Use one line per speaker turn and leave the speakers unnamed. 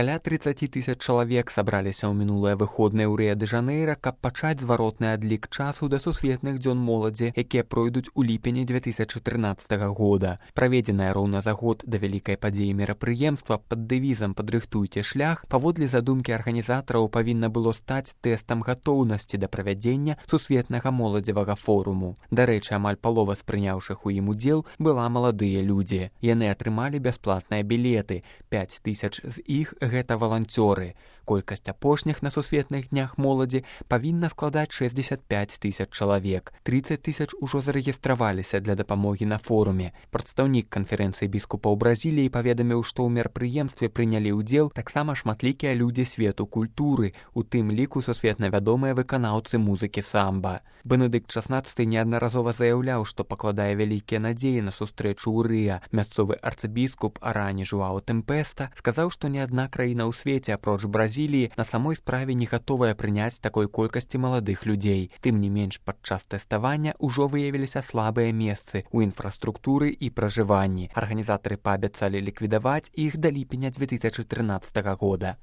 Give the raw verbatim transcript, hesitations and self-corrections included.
Каля тридцаць тысяч чалавек сабраліся ў мінулыя выходныя ў Рыа-дэ-Жанэйра, каб пачаць зваротны адлік часу да сусветных дзён моладзі, якія пройдуць у ліпені дзве тысячы трынаццатага года. Праведзенае роўна за год да вялікай падзеі мерапрыемства пад дэвізам «Падрыхтуйце шлях» паводле задумкі арганізатараў павінна было стаць тэстам гатоўнасці да правядзення сусветнага моладзевага форуму. Дарэчы, амаль палова з прыняўшых у ім удзел была маладыя людзі. Яны атрымалі бясплатныя білеты. пяць тысяч з іх гэта валанцёры. Колькасць апошніх на сусветных днях моладзі павінна складаць шэсцьдзесят пяць тысяч чалавек. трыццаць тысяч ужо зарэгістраваліся для дапамогі на форуме. Прадстаўнік канферэнцыі біскупаў Бразіліі паведаміў, што ў мерапрыемстве прынялі ўдзел таксама шматлікія людзі свету культуры, у тым ліку сусветна вядомыя выканаўцы музыкі самба. Бенедыкт шаснаццаты неаднаразова заяўляў, што пакладае вялікія надзеі на сустрэчу ў Рыа. Мясцовы арцыбіскуп Арані Жуау Тэмпеста сказаў, што ні адна краіна ў свеце, апроч Бразіліі, на самой справе не гатовая прыняць такой колькасці маладых людзей. Тым не менш, падчас тэставання ўжо выявіліся слабыя месцы ў інфраструктуры і пражыванні. Арганізатары паабяцалі ліквідаваць іх да ліпеня дзве тысячы трынаццатага года.